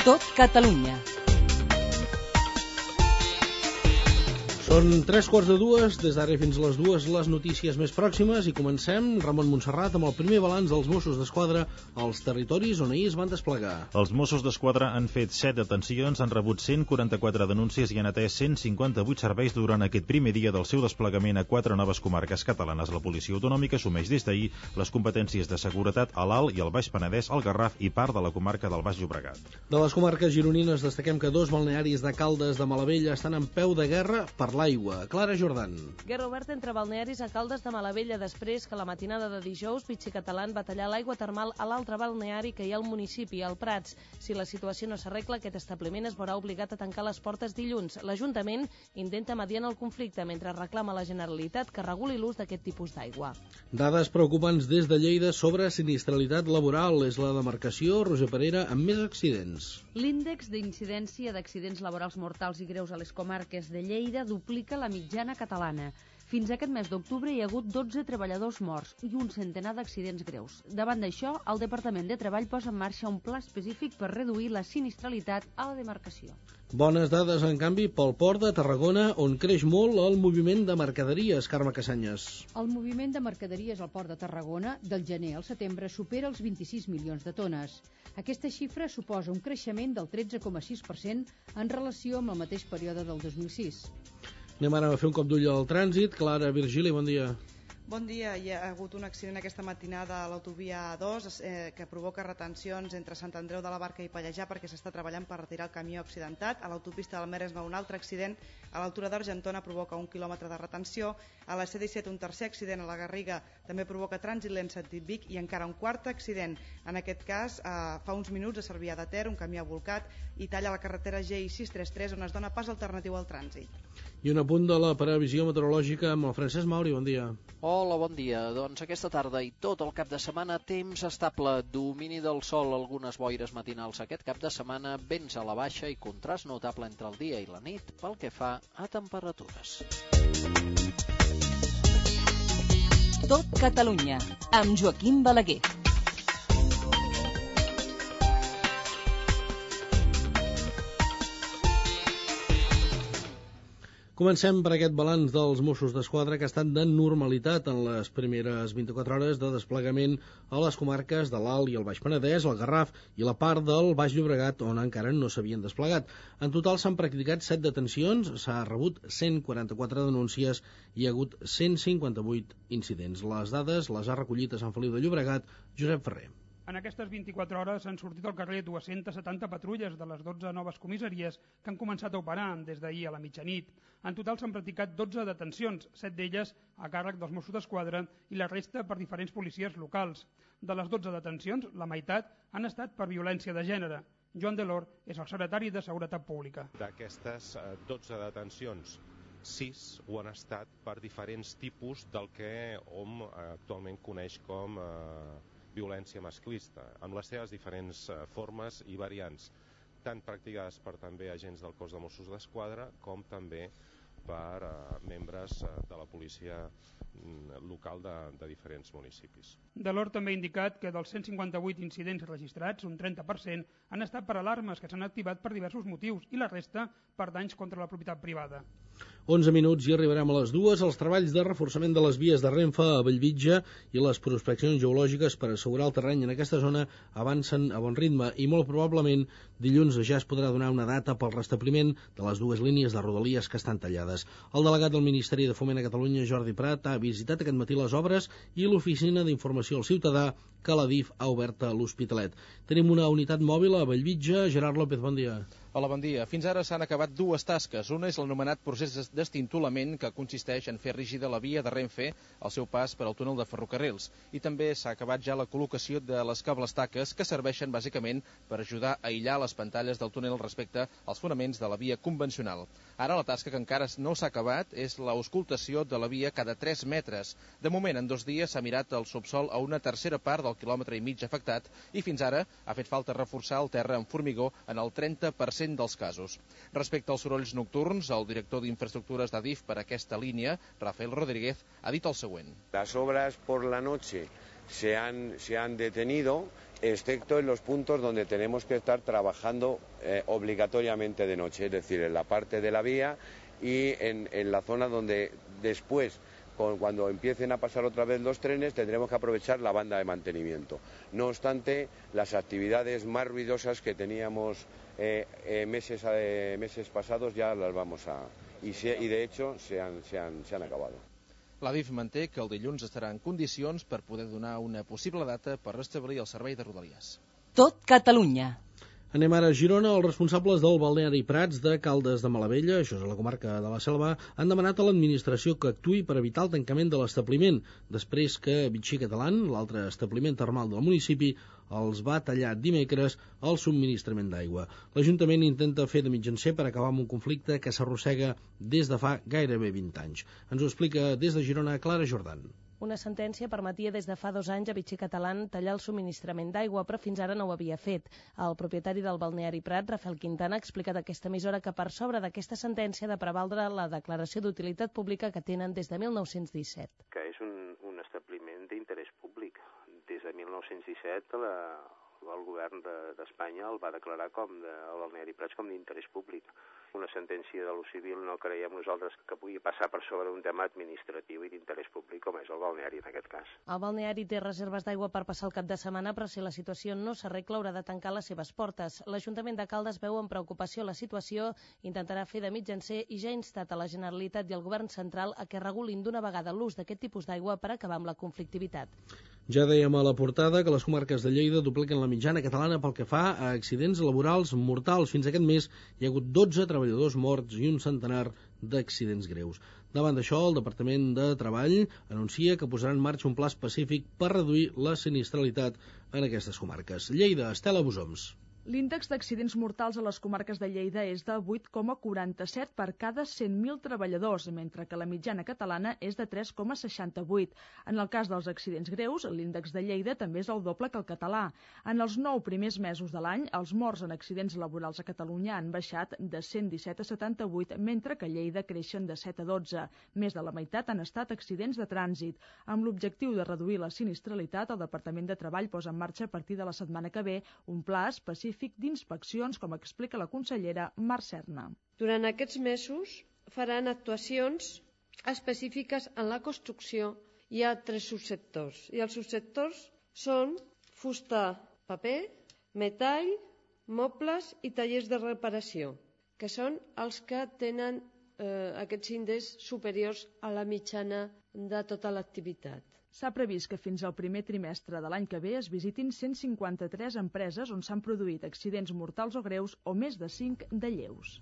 Tot Catalunya. Són 3:45, des d'ara fins a les 2 les notícies més pròximes i comencem, Ramon Montserrat, amb el primer balanç dels Mossos d'Esquadra als territoris on ahir es van desplegar. Els Mossos d'Esquadra han fet 7 detencions, han rebut 144 denúncies i han atès 158 serveis durant aquest primer dia del seu desplegament a 4 noves comarques catalanes. La policia autonòmica assumeix des d'ahir les competències de seguretat a l'Alt i al Baix Penedès, al Garraf i part de la comarca del Baix Llobregat. De les comarques gironines destaquem que 2 balnearis de Caldes de Malavella estan en peu de guerra per l'aigua. Clara Jordan. Guerra oberta entre balnearis a Caldes de Malavella després que la matinada de dijous Vichy Catalán va tallar l'aigua termal a l'altre balneari que hi ha al municipi, al Prats. Si la situació no s'arregla, aquest establiment es veurà obligat a tancar les portes dilluns. L'Ajuntament intenta mediar el conflicte mentre reclama a la Generalitat que reguli l'ús d'aquest tipus d'aigua. Dades preocupants des de Lleida sobre sinistralitat laboral. És la demarcació, Roger Parera, amb més accidents. L'índex d'incidència d'accidents laborals mortals i greus a les comarques de Lleida duplica la mitjana catalana. Fins a aquest mes d'octubre hi ha hagut 12 treballadors morts i un centenar d'accidents greus. Davant d'això, el Departament de Treball posa en marxa un pla específic per reduir la sinistralitat a la demarcació. Bones dades, en canvi, pel port de Tarragona, on creix molt el moviment de mercaderies. Carme Casanyes. El moviment de mercaderies al port de Tarragona, del gener al setembre, supera els 26 milions de tones. Aquesta xifra suposa un creixement del 13,6% en relació amb el mateix període del 2006. Anem ara a fer un cop d'ull al trànsit. Clara Virgili, bon dia. Bon dia. Hi ha hagut un accident aquesta matinada a l'autovia A2 que provoca retencions entre Sant Andreu de la Barca i Pallejà perquè s'està treballant per retirar el camió accidentat. A l'autopista del Mer es va un altre accident. A l'altura d'Argentona provoca 1 quilòmetre de retenció. A la C-17 un tercer accident a la Garriga també provoca trànsit lent sentit Vic i encara un quart accident. En aquest cas, fa uns minuts a Cervià de Ter, un camió ha volcat i talla la carretera GI633 on es dona pas alternatiu al trànsit. I un apunt de la previsió meteorològica amb el Francesc Mauri, bon dia. Hola, bon dia. Doncs aquesta tarda i tot el cap de setmana temps estable, domini del sol, algunes boires matinals aquest cap de setmana, vents a la baixa i contrast notable entre el dia i la nit pel que fa a temperatures. Tot Catalunya, amb Joaquim Balaguer. Comencem per aquest balanç dels Mossos d'Esquadra que ha estat de normalitat en les primeres 24 hores de desplegament a les comarques de l'Alt i el Baix Penedès, el Garraf i la part del Baix Llobregat on encara no s'havien desplegat. En total s'han practicat 7 detencions, s'ha rebut 144 denúncies i hi ha hagut 158 incidents. Les dades les ha recollit a Sant Feliu de Llobregat Josep Ferrer. En aquestes 24 hores han sortit al carrer 270 patrulles de les 12 noves comissaries que han començat a operar des d'ahir a la mitjanit. En total s'han practicat 12 detencions, 7 d'elles a càrrec dels Mossos d'Esquadra i la resta per diferents policies locals. De les 12 detencions, la meitat han estat per violència de gènere. Joan Delor és el secretari de Seguretat Pública. D'aquestes 12 detencions, 6 ho han estat per diferents tipus del que hom actualment coneix com violència masclista, amb les seves diferents formes i variants, tant practicades per també agents del cos de Mossos d'Esquadra com també per membres de la policia local de diferents municipis. Delor també ha indicat que dels 158 incidents registrats, un 30% han estat per alarmes que s'han activat per diversos motius i la resta per danys contra la propietat privada. 11 minuts i arribarem a les 2. Els treballs de reforçament de les vies de Renfe a Bellvitge i les prospeccions geològiques per assegurar el terreny en aquesta zona avancen a bon ritme i molt probablement dilluns ja es podrà donar una data pel restabliment de les 2 línies de rodalies que estan tallades. El delegat del Ministeri de Foment a Catalunya, Jordi Prat, ha visitat aquest matí les obres i l'Oficina d'Informació al Ciutadà que la DIF ha obert a l'Hospitalet. Tenim una unitat mòbil a Bellvitge. Gerard López, bon dia. Hola, bon dia. Fins ara s'han acabat 2 tasques. Una és l'anomenat procés d'estintolament, que consisteix en fer rígida la via de Renfe al seu pas per al túnel de ferrocarrils. I també s'ha acabat ja la col·locació de les cables taques, que serveixen bàsicament per ajudar a aïllar les pantalles del túnel respecte als fonaments de la via convencional. Ara la tasca que encara no s'ha acabat és l'auscultació de la via cada 3 metres. De moment, en 2 dies s'ha mirat el subsol a una tercera part del quilòmetre i mig afectat i fins ara ha fet falta reforçar el terra amb formigó en el 30% dels casos. Respecte als sorolls nocturns, el director d'infraestructures d'Adif per aquesta línia, Rafael Rodríguez, ha dit el següent. Las obras por la noche se han detenido excepto en los puntos donde tenemos que estar trabajando obligatoriamente de noche, es decir, en la parte de la vía y en la zona donde después, cuando empiecen a pasar otra vez los trenes, tendremos que aprovechar la banda de mantenimiento. No obstante, las actividades más ruidosas que teníamos meses pasados ya las vamos a... Y de hecho se han acabado. L'Adif manté que el dilluns estarà en condicions per poder donar una possible data per restablir el servei de Rodalies. Tot Catalunya. Anem ara a Girona. Els responsables del balneari Prats de Caldes de Malavella, això és a la comarca de la Selva, han demanat a l'administració que actuï per evitar el tancament de l'establiment, després que Vichy Catalan, l'altre establiment termal del municipi, els va tallar dimecres el subministrament d'aigua. L'Ajuntament intenta fer de mitjancer per acabar amb un conflicte que s'arrossega des de fa gairebé 20 anys. Ens ho explica des de Girona Clara Jordan. Una sentència permetia des de fa 2 anys a Vichy Catalan tallar el subministrament d'aigua, però fins ara no ho havia fet. El propietari del balneari Prat, Rafael Quintana, ha explicat a aquesta emissora que per sobre d'aquesta sentència ha de prevaldre la declaració d'utilitat pública que tenen des de 1917. Que és un establiment d'interès públic. Des de 1917 el govern d'Espanya el va declarar el balneari Prats com d'interès públic. Una sentència de lo civil no creiem nosaltres que pugui passar per sobre un tema administratiu i d'interès públic com és el balneari en aquest cas. El balneari té reserves d'aigua per passar el cap de setmana, però si la situació no s'arregla haurà de tancar les seves portes. L'Ajuntament de Caldes veu amb preocupació la situació, intentarà fer de mitjancer i ja ha instat a la Generalitat i al Govern central a que regulin d'una vegada l'ús d'aquest tipus d'aigua per acabar amb la conflictivitat. Ja dèiem a la portada que les comarques de Lleida dupliquen la mitjana catalana pel que fa a accidents laborals mortals. Fins aquest mes hi ha hagut 12 treballadors morts i un centenar d'accidents greus. Davant d'això, el Departament de Treball anuncia que posarà en marxa un pla específic per reduir la sinistralitat en aquestes comarques. Lleida, Estela Busoms. L'índex d'accidents mortals a les comarques de Lleida és de 8,47 per cada 100.000 treballadors, mentre que la mitjana catalana és de 3,68. En el cas dels accidents greus, l'índex de Lleida també és el doble que el català. En els 9 primers mesos de l'any, els morts en accidents laborals a Catalunya han baixat de 117 a 78, mentre que a Lleida creixen de 7 a 12. Més de la meitat han estat accidents de trànsit. Amb l'objectiu de reduir la sinistralitat, el Departament de Treball posa en marxa a partir de la setmana que ve un pla específic d'inspeccions, com explica la consellera Mar Serna. Durant aquests mesos faran actuacions específiques en la construcció. Hi ha 3 subsectors i els subsectors són fusta, paper, metall, mobles i tallers de reparació, que són els que tenen aquests índexs superiors a la mitjana de tota l'activitat. S'ha previst que fins al primer trimestre de l'any que ve es visitin 153 empreses on s'han produït accidents mortals o greus o més de 5 de lleus.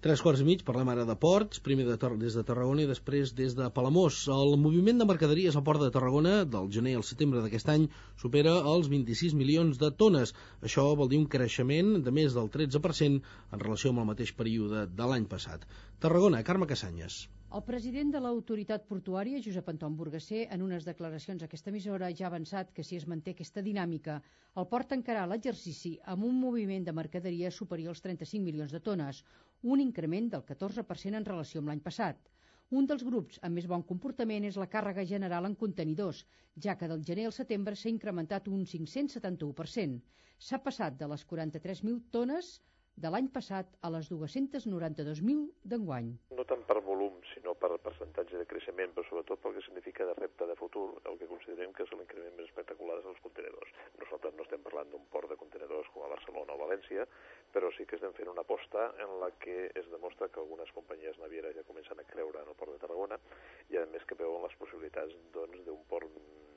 3:15, parlem ara de ports, primer des de Tarragona i després des de Palamós. El moviment de mercaderies al port de Tarragona, del gener al setembre d'aquest any, supera els 26 milions de tones. Això vol dir un creixement de més del 13% en relació amb el mateix període de l'any passat. Tarragona, Carme Casanyes. El president de l'autoritat portuària, Josep Anton Burgasser, en unes declaracions a aquesta emissora ja ha avançat que si es manté aquesta dinàmica, el port tancarà l'exercici amb un moviment de mercaderies superior als 35 milions de tones, un increment del 14% en relació amb l'any passat. Un dels grups amb més bon comportament és la càrrega general en contenidors, ja que del gener al setembre s'ha incrementat un 571%. S'ha passat de les 43.000 tones de l'any passat a les 292.000 d'enguany. No tant per volum, sinó per percentatge de creixement, però sobretot pel que significa de repte de futur, el que considerem que és l'increment més espectacular dels contenidors. Nosaltres no estem parlant d'un port de contenidors com a Barcelona o València, però sí que estem fent una aposta en la que es demostra que algunes companyies navieres ja comencen a creure en el port de Tarragona i a més que veuen les possibilitats d'un port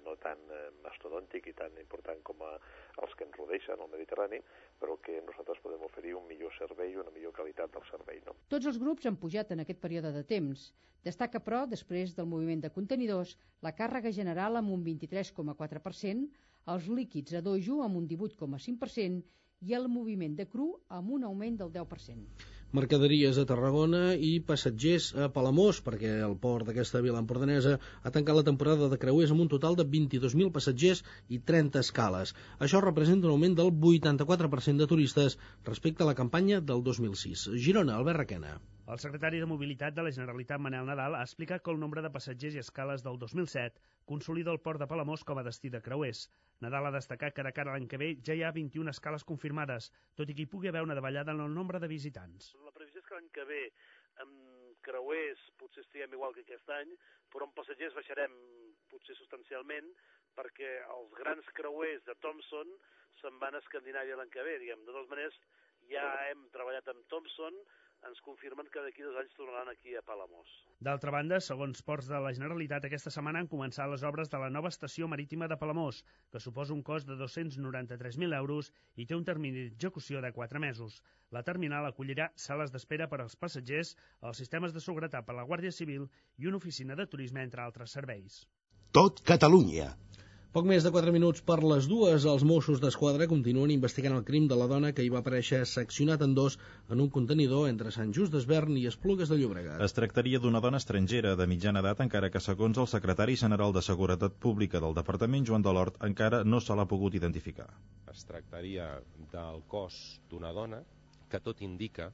no tan mastodòntic i tan important com els que ens rodeixen al Mediterrani, però que nosaltres podem oferir un millor servei i una millor qualitat del servei. No? Tots els grups han pujat en aquest període de temps. Destaca, però, després del moviment de contenidors, la càrrega general amb un 23,4%, els líquids a dojo amb un 18,5% i el moviment de cru amb un augment del 10%. Mercaderies a Tarragona i passatgers a Palamós, perquè el port d'aquesta vila empordanesa ha tancat la temporada de creuers amb un total de 22.000 passatgers i 30 escales. Això representa un augment del 84% de turistes respecte a la campanya del 2006. Girona, Albert Requena. El secretari de Mobilitat de la Generalitat, Manel Nadal, ha explicat que el nombre de passatgers i escales del 2007 consolida el port de Palamós com a destí de creuers. Nadal ha destacat que de cara a l'any que ve ja hi ha 21 escales confirmades, tot i que hi pugui haver una davallada en el nombre de visitants. La previsió és que l'any que ve amb creuers potser estiguem igual que aquest any, però amb passatgers baixarem potser substancialment perquè els grans creuers de Thomson se'n van a Escandinàvia l'any que ve, diguem. De totes maneres, ja hem treballat amb Thomson, ens confirmen que d'aquí 2 anys tornaran aquí a Palamós. D'altra banda, segons Ports de la Generalitat, aquesta setmana han començat les obres de la nova estació marítima de Palamós, que suposa un cost de 293.000 euros i té un termini d'execució de 4 mesos. La terminal acollirà sales d'espera per als passatgers, els sistemes de seguretat per a la Guàrdia Civil i una oficina de turisme, entre altres serveis. Tot Catalunya. Poc més de 4 minuts per les 2, els Mossos d'Esquadra continuen investigant el crim de la dona que hi va aparèixer seccionat en 2 en un contenidor entre Sant Just d'Esvern i Esplugues de Llobregat. Es tractaria d'una dona estrangera de mitjana edat, encara que segons el secretari general de Seguretat Pública del Departament, Joan Delort, encara no se l'ha pogut identificar. Es tractaria del cos d'una dona que tot indica,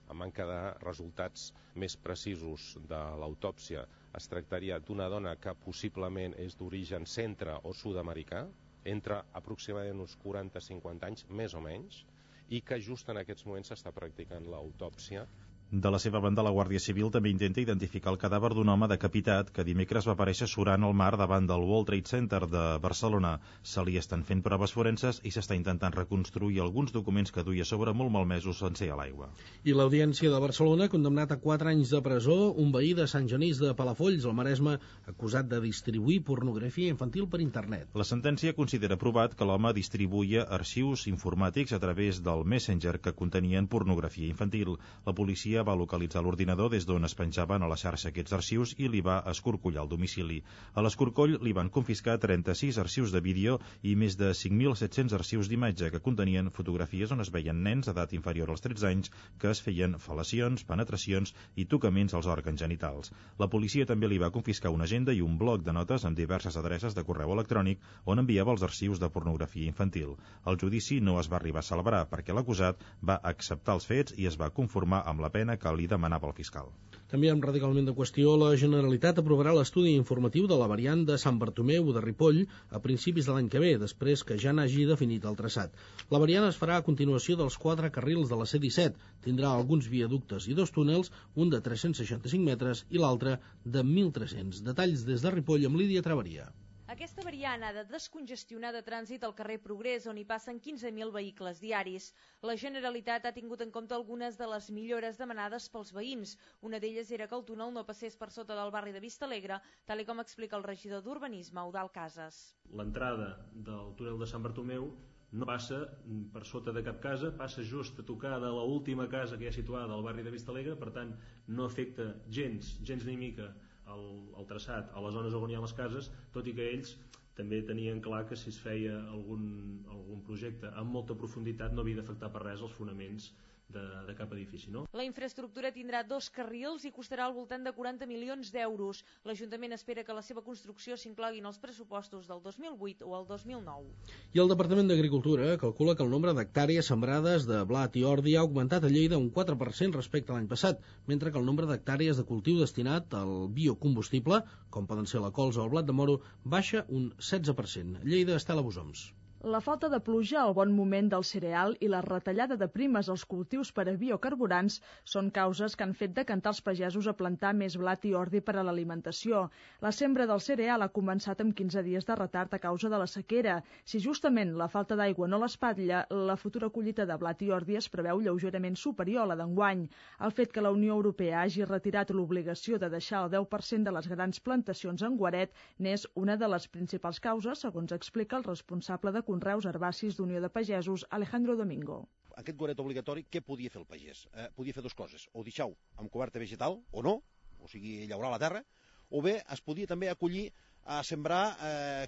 a manca de resultats més precisos de l'autòpsia, es tractaria d'una dona que possiblement és d'origen centre o sud-americà, entre aproximadament uns 40-50 anys, més o menys, i que just en aquests moments s'està practicant l'autòpsia. De la seva banda, la Guàrdia Civil també intenta identificar el cadàver d'un home decapitat que dimecres va aparèixer surant al mar davant del World Trade Center de Barcelona. Se li estan fent proves forenses i s'està intentant reconstruir alguns documents que duia sobre molt malmesos sense a l'aigua. I l'Audiència de Barcelona ha condemnat a 4 anys de presó un veí de Sant Genís de Palafolls, al Maresme, acusat de distribuir pornografia infantil per internet. La sentència considera provat que l'home distribuïa arxius informàtics a través del Messenger que contenien pornografia infantil. La policia va localitzar l'ordinador des d'on es penjaven a la xarxa aquests arxius i li va escorcollar el domicili. A l'escorcoll li van confiscar 36 arxius de vídeo i més de 5.700 arxius d'imatge que contenien fotografies on es veien nens d'edat inferior als 13 anys que es feien fel·lacions, penetracions i tocaments als òrgans genitals. La policia també li va confiscar una agenda i un bloc de notes amb diverses adreces de correu electrònic on enviava els arxius de pornografia infantil. El judici no es va arribar a celebrar perquè l'acusat va acceptar els fets i es va conformar amb la pena que li demanava el fiscal. Canviem radicalment de qüestió. La Generalitat aprovarà l'estudi informatiu de la variant de Sant Bartomeu de Ripoll a principis de l'any que ve, després que ja n'hagi definit el traçat. La variant es farà a continuació dels 4 carrils de la C-17. Tindrà alguns viaductes i 2 túnels, un de 365 metres i l'altre de 1.300. Detalls des de Ripoll amb Lídia Traveria. Aquesta variant ha de descongestionar de trànsit el carrer Progrés, on hi passen 15.000 vehicles diaris. La Generalitat ha tingut en compte algunes de les millores demanades pels veïns. Una d'elles era que el túnel no passés per sota del barri de Vistalegre, tal com explica el regidor d'Urbanisme, Eudald Casas. L'entrada del túnel de Sant Bartomeu no passa per sota de cap casa, passa just a tocar de l'última casa que hi ha situada al barri de Vistalegre, per tant no afecta gens ni mica el traçat a les zones on hi ha les cases, tot i que ells també tenien clar que si es feia algun projecte amb molta profunditat no havia d'afectar per res els fonaments de cap edifici, no? La infraestructura tindrà 2 carrils i costarà al voltant de 40 milions d'euros. L'Ajuntament espera que la seva construcció s'inclogui en els pressupostos del 2008 o el 2009. I el Departament d'Agricultura calcula que el nombre d'hectàrees sembrades de blat i ordi ha augmentat a Lleida un 4% respecte a l'any passat, mentre que el nombre d'hectàrees de cultiu destinat al biocombustible, com poden ser la colza o el blat de moro, baixa un 16%. Lleida, Estela Bosoms. La falta de pluja, el bon moment del cereal i la retallada de primes als cultius per a biocarburants són causes que han fet decantar els pagesos a plantar més blat i ordi per a l'alimentació. La sembra del cereal ha començat amb 15 dies de retard a causa de la sequera. Si justament la falta d'aigua no l'espatlla, la futura collita de blat i ordi es preveu lleugerament superior a la d'enguany. El fet que la Unió Europea hagi retirat l'obligació de deixar el 10% de les grans plantacions en guaret n'és una de les principals causes, segons explica el responsable de Conreus Herbacis d'Unió de Pagesos, Alejandro Domingo. Aquest guaret obligatori, què podia fer el pagès? Podia fer 2 coses, o deixar-ho amb coberta vegetal, o no, o sigui, llaurar la terra, o bé es podia també acollir a sembrar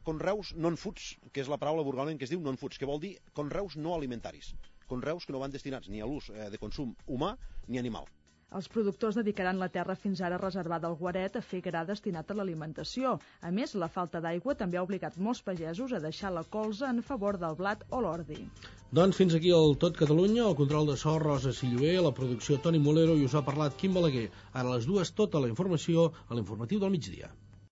conreus non-foods, que és la paraula burgalment que es diu non-foods, que vol dir conreus no alimentaris. conreus que no van destinats ni a l'ús de consum humà ni animal. Els productors dedicaran la terra fins ara reservada al guaret a fer gra destinat a l'alimentació. A més, la falta d'aigua també ha obligat molts pagesos a deixar la colza en favor del blat o l'ordi. Doncs fins aquí el Tot Catalunya, el control de so Rosa Silloé, la producció Toni Molero i us ha parlat Quim Balaguer. Ara a les 2 tota la informació a l'informatiu del migdia.